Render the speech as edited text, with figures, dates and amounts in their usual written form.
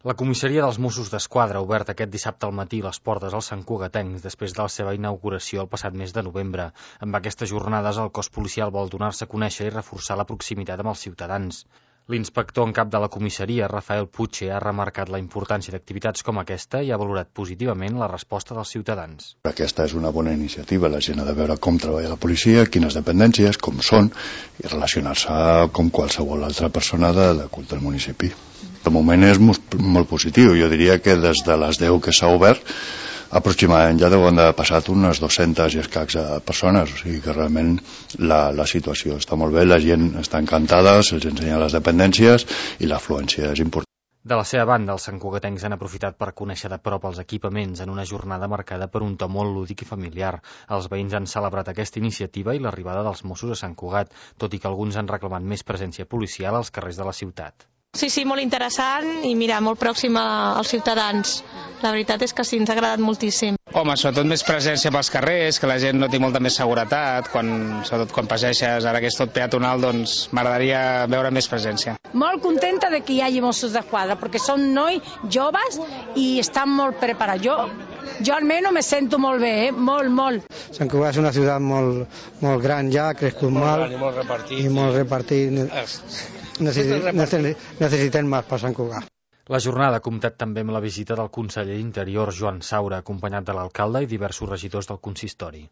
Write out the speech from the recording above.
La comissaria dels Mossos d'Esquadra ha obert aquest dissabte al matí les portes als santcugatencs després de la seva inauguració el passat mes de novembre. Amb aquestes jornades el cos policial vol donar-se a conèixer i reforçar la proximitat amb els ciutadans. L'inspector en cap de la comissaria, Rafael Puche, ha remarcat la importància d'activitats com aquesta i ha valorat positivament la resposta dels ciutadans. Aquesta és una bona iniciativa, la gent ha de veure com treballa la policia, quines dependències, com són, i relacionar-se com qualsevol altra persona del municipi. De moment és molt positiu, jo diria que des de les 10 que s'ha obert, aproximadament ja deuen haver passat unes 200 i escacs persones, o sigui que realment la situació està molt bé, la gent està encantada, se'ls ensenya les dependències i l'afluència és important. De la seva banda, els santcugatencs han aprofitat per conèixer de prop els equipaments en una jornada marcada per un to molt lúdic i familiar. Els veïns han celebrat aquesta iniciativa i l'arribada dels Mossos a Sant Cugat, tot i que alguns han reclamat més presència policial als carrers de la ciutat. Sí, molt interessant i mira, molt pròxim als ciutadans. La veritat és que sí, ens ha agradat moltíssim. Home, sobretot més presència pels carrers, que la gent noti molta més seguretat, sobretot quan passeixes, ara que és tot peatonal, doncs m'agradaria veure més presència. Molt contenta de que hi hagi Mossos d'Esquadra, perquè són nois joves i estan molt preparats. Jo almenys me sento molt bé, molt. Sant Cugat és una ciutat molt gran ja, ha crescut molt i molt repartit. Necessitem més per Sant Cugat. La jornada ha comptat també amb la visita del conseller d'Interior, Joan Saura, acompanyat de l'alcalde i diversos regidors del consistori.